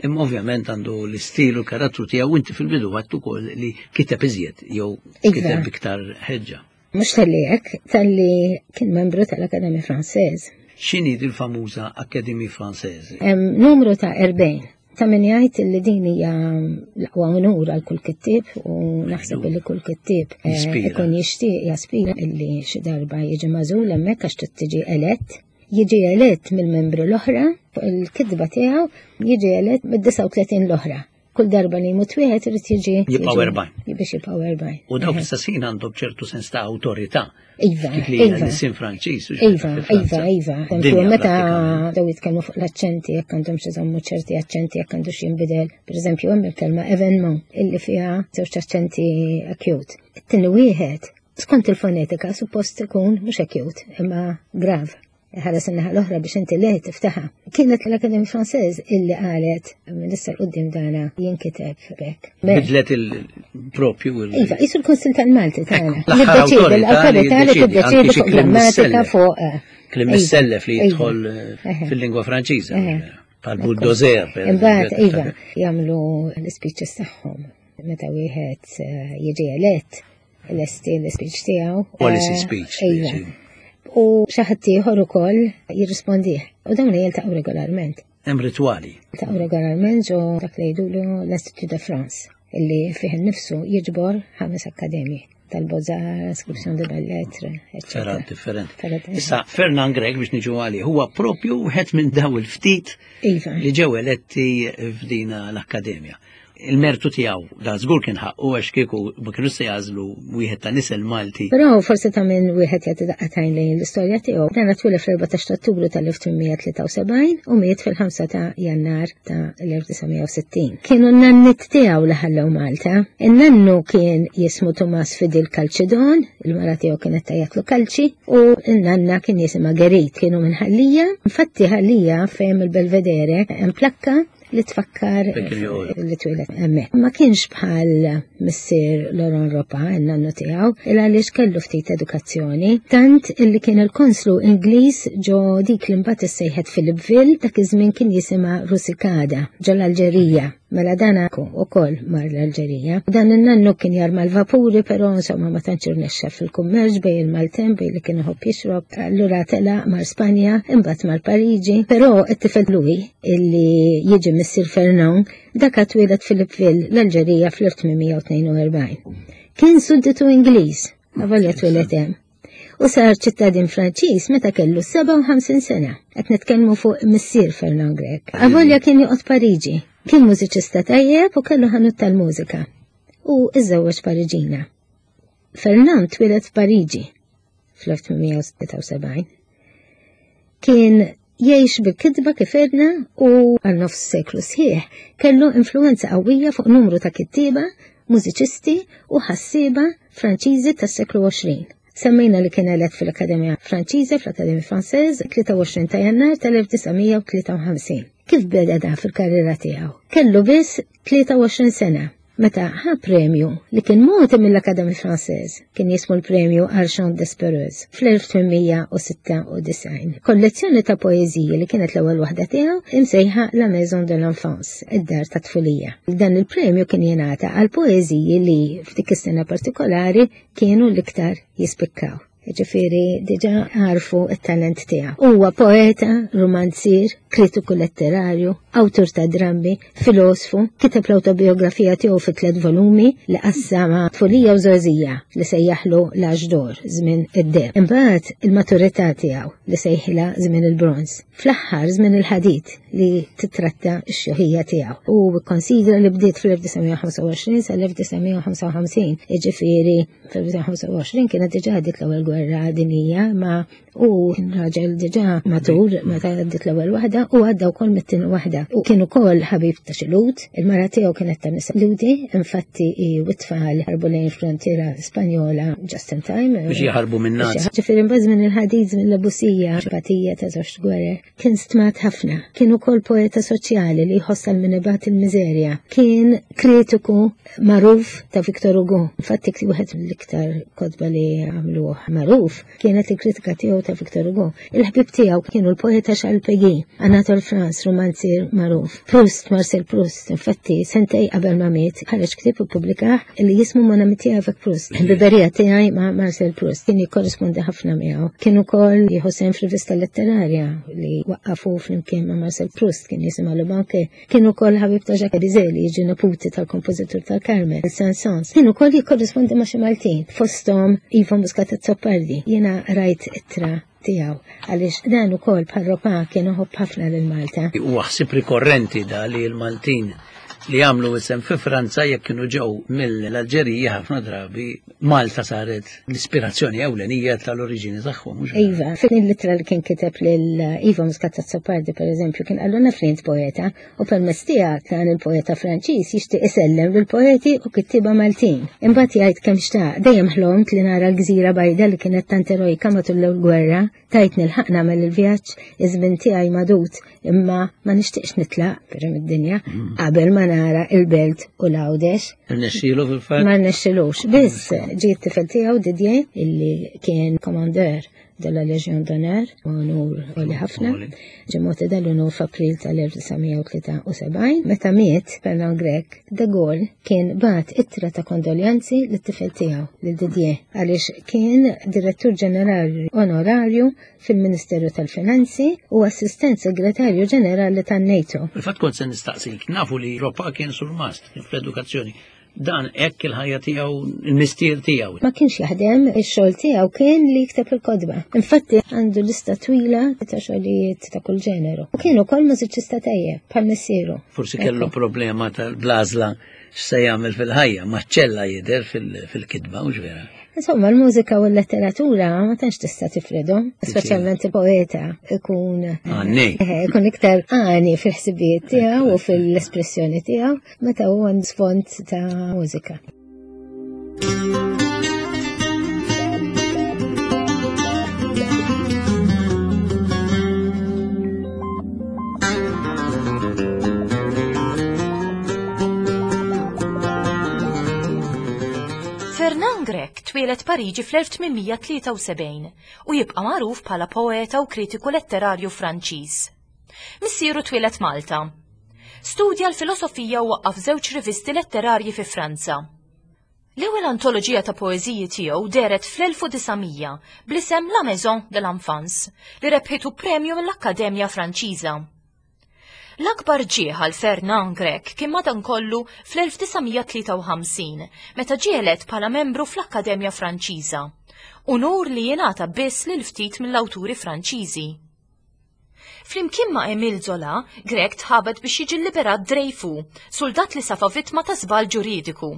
imma ovvjament għandu l-istil u l-karattru tiegħu inti fil-bidu għattu ukoll li kiteb iżjed jew Iva. kiteb iktar ħeġġa. Mhux talli hekk, talli kien membru tal-Akademja Franċeż. X'inhi din famuża Académie Française? Hemm numru ta' 40. Ta' min jgħid li din hija l-aqwa unur għal kull kittieb u naħseb li kull kittieb Jispira. ikun jixtieq jaspira illi xi darba jiġi magħżul hemmhekk għax trid tiġi elett. Jiġi elett mill-membri l-oħra fuq il-kitba tiegħu jiġi elett mid-39 l-oħra. Kull darba li jmut wieħed irid jiġi Jibqgħu jiġi- 40. Biex jibqgħu 40. U dawk l-istessin għandhom ċertu sens ta' awtorità. Iva, Dik li hija iva. l-isim Franċiż. u Iva, fi Franza. iva, iva. Dinja Eżempju, meta prattikament. daw jitkellmu fuq l-aċċenti, jekk għandhom xi żommu ċerti aċċenti, jekk għandu xi jinbidel. Per eżempju, hemm il-kelma evenement illi fiha żewġ aċċenti acute. It-tieni wieħed, skont il-fonetika, suppost ikun mhux acute, imma grav. Ħares in-naħa l-oħra biex inti le tiftaħha. Kienet l-Akademja Franċeż illi qalet minn issa 'l quddiem dana jinkiteb b'hekk. Bidlet il-propju. il- Iva, jisu l-Kunsil tal-Malti tagħna. Ekku, l-aħħar Jiddeċiedi, awtorità li l-awtorità li jiddeċiedi, anki tiddeċiedi xi fuq kliem grammatika missellef. fuq. Klim Iva, missellef li iva. jidħol fil-lingwa Franċiża. Pal bulldozer. per Imbagħad eżempju. iva, jagħmlu l-ispeeches tagħhom. Meta wieħed jiġi elett, lesti l-ispeech tiegħu. Policy speech, Iva. sì. U xi ħadd ieħor ukoll jirrispondih. U dawn jiltaqgħu regolarment. Hemm ritwali. Jiltaqgħu regolarment ġo dak li jgħidulu l-Institut de France illi fih innifsu jiġbor 5 akkademji tal-Beaux-Arts, Inscription de Belles-Lettres, eccetera. Ferrat differenti. Ferrat, Issa, Fernand Grech biex niġu għalih, huwa propju wieħed minn daw il-ftit Iva. li ġew eletti f'dina l-akkademja. Il-mertu tiegħu da żgur kien ħaqqu għax kieku ma kienu se jażlu wieħed ta' nisel Malti. Però forsi ta' minn wieħed jagħti daqqatajn lejn l-istorja tiegħu. Dan twieled fl-14 ta' Ottubru tal-1873 u miet fil-5 ta' Jannar ta' l-1960. Kienu n-nannit tiegħu li ħallew Malta. In-nannu kien jismu Tomas Fidel Calcedon, il-mara tiegħu kienet tajjatlu Calci, u n-nanna kien jisimha Gerit, kienu minn Ħallija. Infatti Ħallija fejn il-Belvedere hemm plakka li tfakkar Fejn kien joqgħod. li twieled hemmhekk. Ma kienx bħal missier Laurent Ropa, in-nannu tiegħu, il għaliex kellu ftit edukazzjoni, tant illi kien il-konslu Ingliż ġo dik li mbagħad issejħet Philippeville, dak iż-żmien kien jisimha Rusikada ġo l-Alġerija. Mela dan ukoll mar l-Alġerija. Dan in-nannu kien jarma l-vapuri, però insomma ma tantx irnexxa fil-kummerċ bejn il-Malten bejn li kien iħobb jixrob. Allura telaq mar Spanja, imbagħad mar Pariġi, però it-tifel Louis illi jiġi missier Fernand, dak twieled Philippeville l-Alġerija fl-1842. Kien sudditu Ingliż, avolja twieled hemm. U sar ċittadin Franċiż meta kellu 57 sena. Qed nitkellmu fuq missier Fernand Grech. Avolja kien joqgħod Pariġi. Kien mużiċista tajjeb u kellu ħanut tal-mużika. U iżżewweġ Pariġina. Fernand twieled f'Pariġi fl-1876. Kien jgħix bil-kitba kif għedna u għal nofs seklu sħiħ kellu influenza qawwija fuq numru ta' kittieba, mużiċisti u ħassieba Franċiżi tas-seklu 20. Semmejna li kien elett fil-Akkademja Franċiża, fl-Akkademja Franċeż, 23 ta' Jannar tal-1953. Kif beda da fil-karriera tiegħu? Kellu biss 23 sena. meta ħa premju li kien mogħti mill-Académie Française, kien jismu l-premju Archon d'Espereuse fl-1896. Kollezzjoni ta' poeżiji li kienet l-ewwel waħda tiegħu imsejħa La Maison de l'Enfance, id-dar ta' tfulija. Dan il-premju kien jingħata għal poeżiji li f'dik is-sena partikolari kienu l-iktar jispikkaw. Ġifieri diġà għarfu t-talent tiegħu. Huwa poeta, romanzier, kritiku letterarju, awtur ta' drammi, filosfu, kiteb l-awtobiografija tiegħu fi tliet volumi li qassama tfulija u żgħożija li sejjaħlu l-Âge d'Or, żmien id-deheb. Imbagħad il-maturità tiegħu li sejħilha żmien il-bronż. Fl-aħħar żmien il-ħadid li titratta x-xjuħija tiegħu. U kkonsidra li bdiet fl-1925 sal-1955, jiġifieri fl-1925 kienet diġà għaddiet l-ewwel gwerra dinjija ma u kien raġel diġà matur meta għaddiet l-ewwel waħda u għadda wkoll mit-tieni waħda. U kien ukoll ħabib ta' xi Lhud, il-mara tiegħu kienet ta' nisa Lhudi, infatti hi u t-tfal ħarbu lejn frontiera Spanjola just in time. Biex jaħarbu minn Nazi. Ġifieri mbagħad żmien il-ħadid, żmien l-abusija, xbatija ta' żewġ gwerer. Kien stmat ħafna. Kien ukoll poeta soċjali li jħoss għal min ibati l-miżerja. Kien kritiku magħruf ta' Victor Hugo. Infatti wieħed mill-iktar kotba li għamluh magħruf kienet il-kritika tiegħu ta' Victor Hugo. Il-ħbieb tiegħu kienu l-poeta Charles Péguy, Anatole France, romanzier magħruf, Proust, Marcel Proust. Infatti sentej qabel ma miet ħareġ ktieb u ppubblikah li jismu Mon amitié avec Proust. Ħbiberija tiegħi ma' Marcel Proust kien jikkorrispondi ħafna miegħu. Kien ukoll jieħu sehem f'rivista letterarja li waqqafu flimkien ma' Marcel Proust kien jisimha Le Banquet. Kien ukoll ħabib ta' Jacques Bizet li jiġi neputi tal-kompożitur tal-Carmen, Saint-Saëns. Kien ukoll jikkorrispondi ma' xi Maltin, fosthom Ivan Muscat Azzopardi. Jiena rajt ittra tiegħu għaliex dan ukoll bħal Ropa kien iħobb ħafna lil Malta. Huwa ħsieb rikorrenti da li l-Maltin li għamlu isem fi Franza jekk kienu ġew mill-Alġerija ħafna drabi Malta saret l-ispirazzjoni ewlenija tal-oriġini tagħhom. Iva, fin l-ittra li kien kiteb lil Iva Muscat Azzopardi pereżempju kien qallu naf li int poeta u permezz tiegħek dan il-poeta Franċiż jixtieq isellem lill-poeti u kittieba Maltin. Imbagħad jgħid kemm xtaq, dejjem ħlomt li nara l-gżira bajda li kienet tant erojka matul l-ewwel gwerra, tajt nilħaq nagħmel il-vjaġġ, iż-żmien tiegħi magħdud, imma ma nixtieqx nitlaq però mid-dinja mm. qabel ma nara il-belt u l-Għawdex. Rnexxielu fil-fatt? Ma rnexxilux. Biss ġie t-tifel tiegħu Didier illi kien commander de la Legion d'Honneur, unur għoli ħafna. Ġie mogħti dal-unur f'April tal-1973. Meta miet Fernand Grech, De Gaulle kien bagħat ittra ta' kondoljanzi lit-tifel tiegħu, lil Didier, għaliex kien direttur ġenerali onorarju fil-Ministeru tal-Finanzi u assistent segretarju ġenerali tan-NATO. Fil-fatt kont se nistaqsik, nafu li Ropa kien surmast fl-edukazzjoni. Dan hekk il-ħajja tiegħu, il-mistier tiegħu. Ma kienx jaħdem, ix-xogħol tiegħu kien li jikteb il-kotba. Infatti għandu lista twila ta' xogħlijiet ta' kull ġeneru. U kien ukoll mużiċista tajjeb bħal missieru. Forsi kellu problema tal-blażla x'se jagħmel fil-ħajja, maċċella jidher fil-kitba, mhux vera? Insomma, l-mużika u l-letteratura ma tantx tista' tifridhom, speċjalment il-poeta ikun għani. Eh, ikun iktar għani fil-ħsibijiet tiegħu u fil-espressjoni tiegħu meta huwa sfond ta' mużika. Fernand Grech twieled Pariġi fl-1873 u jibqa' magħruf bħala poeta u kritiku letterarju Franċiż. Missieru twieled Malta. Studja l-filosofija u waqqaf żewġ rivisti letterarji fi Franza. L-ewwel antoloġija ta' poeżiji tiegħu dehret fl-1900 bl-isem La Maison de l'Enfance li rebħitu premju mill-Akkademja Franċiża. L-akbar ġieħ għal Fernand Grech kien madankollu fl-1953 meta ġie elett bħala membru fl-Akkademja Franċiża, unur li jingħata biss lil ftit mill-awturi Franċiżi. Flimkien ma' Émile Zola, Grech tħabat biex jiġi lliberat Dreyfus, suldat li safa vittma ta' żball ġuridiku.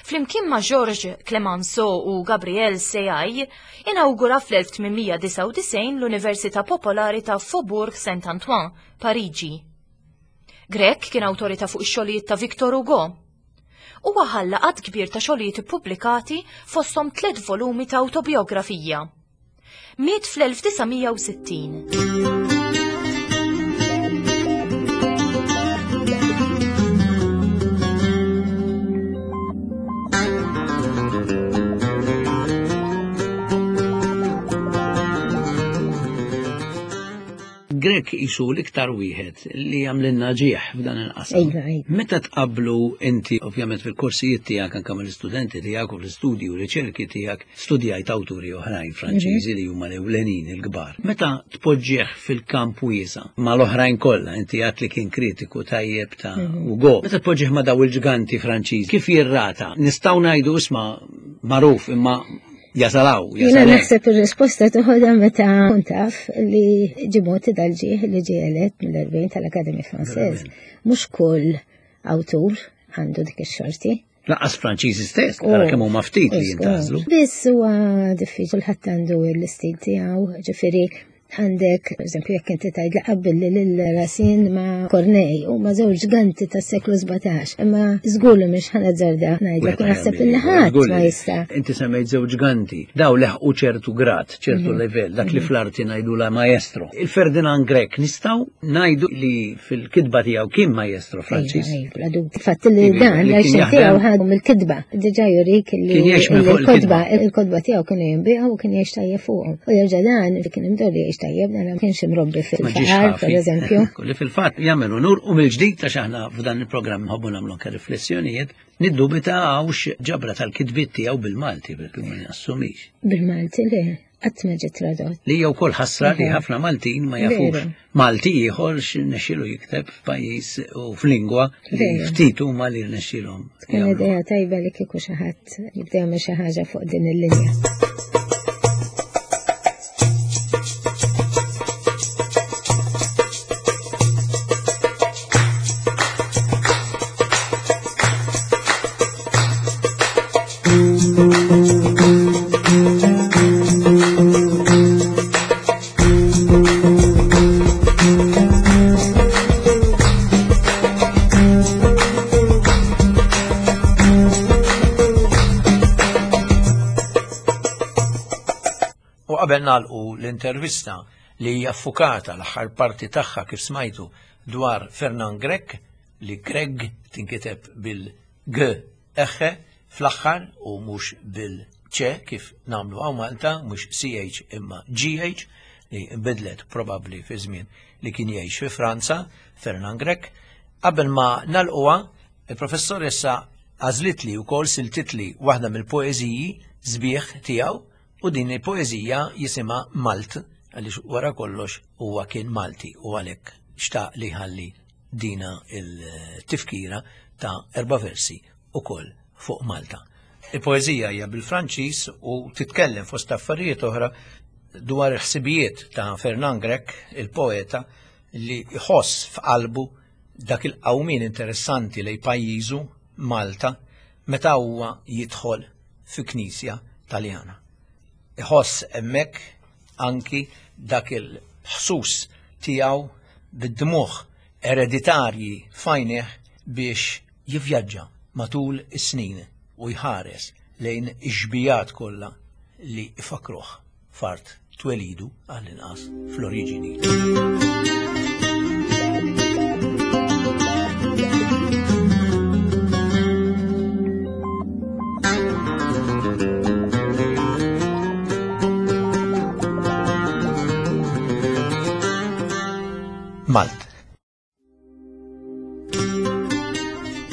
Flimkien ma' Georges Clemenceau u Gabriel Seyai, inawgura fl-1899 l-Università Popolari ta' Faubourg Saint-Antoine, Pariġi. Grech kien awtorità fuq ix-xogħlijiet ta' Victor Hugo. Huwa ħalla għadd kbir ta' xogħlijiet ippubblikati fosthom tliet volumi ta' awtobiografija. Miet fl-1960. Grech qisu l-iktar wieħed li għamlilna ġieħ f'dan il-qasam. Iva, iva. Meta tqabblu inti, ovvjament fil-korsijiet tiegħek anke mal-istudenti tiegħek u fl-istudji u riċerki tiegħek, studjajt awturi oħrajn Franċiżi li huma l-ewlenin il-kbar. Meta tpoġġih fil-kamp wiesa' mal-oħrajn kollha, inti għedt li kien kritiku tajjeb ta' Hugo. Meta tpoġġih ma' daw il-ġganti Franċiżi, kif jirrata? Nistgħu ngħidu isma' magħruf imma jasalaw, Jiena jasalaw. naħseb ir-risposta toħodha meta kont taf li ġie mogħti dal-ġieħ li ġie elett mill-40 tal-Académie Française. Mhux kull awtur għandu dik ix-xorti. Lanqas Franċiżi stess, ara kemm huma ftit li jintgħażlu. Biss huwa diffiċli ħadd għandu l-istil tiegħu, ġifieri għandek, per eżempju, jekk inti tgħid li qabel lil Racine ma' Corneille huma żewġ ġganti tas-seklu 17, imma żgur li mhix ħa nazzarda ngħidlek u naħseb li ħadd ma jista'. Inti semmejt żewġ ġganti, daw leħqu ċertu grad, ċertu livell, dak li fl-arti ngħidu la maestro. Il-Ferdinand Grech nistgħu ngħidu li fil-kitba tiegħu kien maestro Franċiż. Ejja, bla dubju. Fatt li Iva, dan li kien l-għajxien jaħdem. tiegħu ħadu mill-kitba. Diġà jurik li Kien jgħix minn fuq il-kotba tiegħu kienu jinbiegħu u kien jgħix tajjeb fuqhom. U jerġa' dan li kien imdorri jgħix tajjeb, dan ma kienx imrobbi Ma ġiex fil-faqar, ħafi. per eżempju. Li fil-fatt jagħmel unur u mill-ġdid għax aħna f'dan il-programm nħobbu nagħmlu anke riflessjonijiet, niddubita hawnx ġabra tal-kitbiet tiegħu bil-Malti, perché ma nassumix. Bil-Malti le, qatt ma ġiet tradott. Li hija wkoll ħasra li ħafna Maltin ma jafux. Veru. Malti ieħor x'nexxielu jikteb f'pajjiż u f'lingwa li Veru. ftit huma li rnexxielhom. Tkun jagħmlu. idea tajba li kieku xi ħadd jibda jagħmel xi ħaġa fuq din il-linja. U qabel nagħlqu l-intervista li hija ffukata l-aħħar parti tagħha kif smajtu dwar Fernand Grech, li Greg tinkiteb bil-G eħe fl-aħħar u mhux bil-C kif nagħmlu hawn Malta, mhux CH imma GH, li nbidlet probabbli fi żmien li kien jgħix fi Franza, Fernand Grech. Qabel ma nagħlquha, il-professoressa għażlitli wkoll siltitli waħda mill-poeżiji sbieħ tiegħu, u din il-poeżija jisimha Malt, għaliex wara kollox huwa kien Malti u għalhekk xtaq li ħalli dina il-tifkira ta' 4 versi ukoll fuq Malta. Il-poeżija hija bil-Franċiż u titkellem fost affarijiet oħra dwar il-ħsibijiet ta' Fernand Grech, il-poeta, li jħoss f'qalbu dak il-qawmien interessanti lej pajjiżu Malta meta huwa jidħol fi knisja Taljana. Iħoss hemmhekk anki dak il-ħsus tiegħu bid-dmuħ ereditarji f'għajnejh biex jivvjaġġa matul is-snin u jħares lejn ix-xbijat kollha li ifakruh f'art twelidu għall-inqas fl-oriġini. Malte.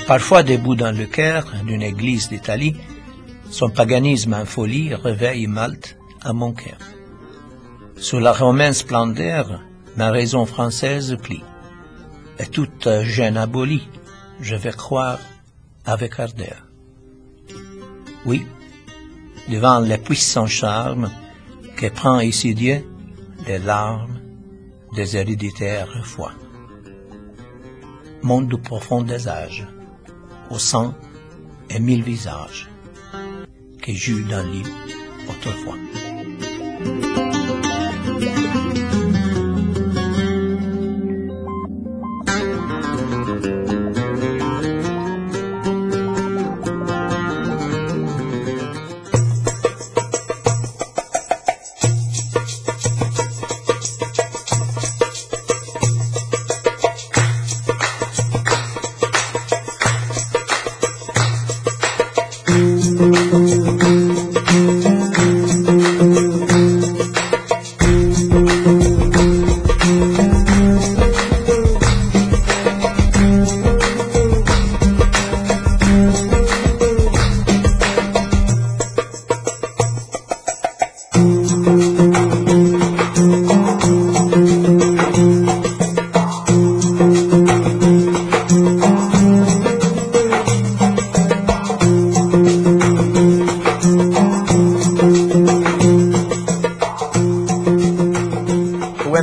Parfois debout dans le cœur d'une église d'Italie, son paganisme en folie réveille Malte à mon cœur. Sous la romaine splendeur, ma raison française plie, et toute gêne abolie, je vais croire avec ardeur. Oui, devant les puissants charmes que prend ici Dieu, les larmes des héréditaires foi. Monde profond des âges, au sang et 1000 visages, que j'eus dans l'île autrefois.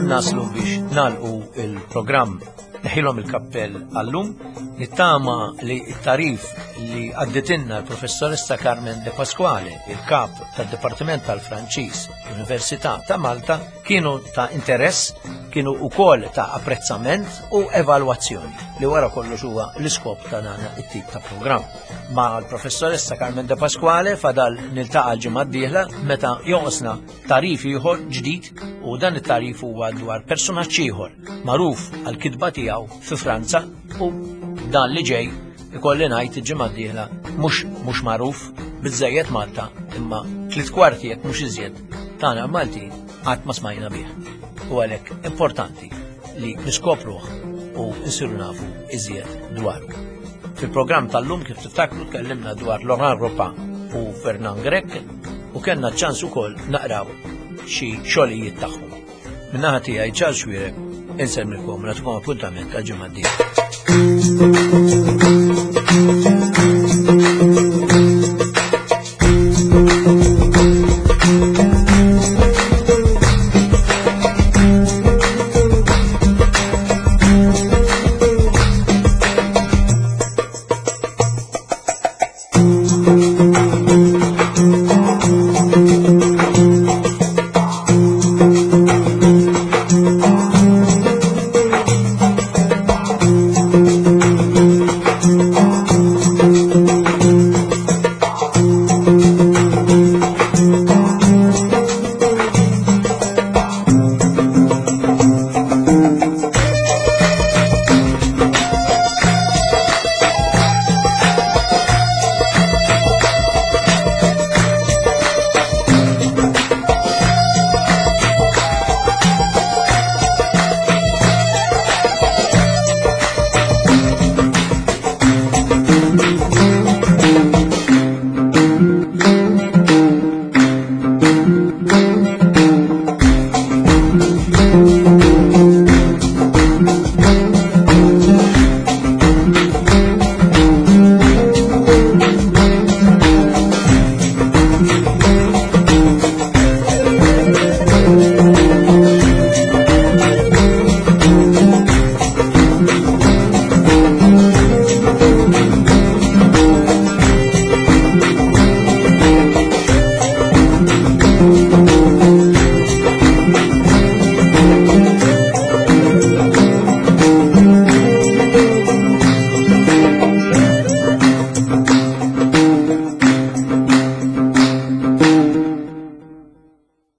Naslu biex nalqu il-programm Neħilhom il-kappell għallum, nittama li t-tarif li għadditinna l-professoressa Carmen De Pasquale, il-kap tad-Dipartiment tal-Franċiż l-Università ta' Malta, kienu ta' interess, kienu ukoll ta' apprezzament u evalwazzjoni li wara kollox huwa l-iskop ta' dan it-tip ta' programm. Ma' l-professoressa Carmen De Pasquale fadal niltaqa' l-ġimgħa d-dieħla meta jonqosna Tagħrif ieħor ġdid u dan it-tagħrif huwa dwar personaġġ ieħor magħruf għall-kitba tiegħu fi Franza u dan li ġej ikolli ngħid il-ġimgħa d-dieħla mhux mhux magħruf biżejjed Malta imma tliet kwarti jekk mhux iżjed tagħna Maltin qatt ma smajna bih. U għalhekk importanti li niskopruh u nsiru nafu iżjed dwaru. Fil-programm tal-lum kif tiftakru tkellimna dwar Laurent Ropa u Fernand Grech u kellna ċans ukoll naqraw xi xogħlijiet tagħhom. Min-naħa tiegħi Charles Xuereb insellmilkom nagħtikom appuntament għal ġimgħa d-dieħla.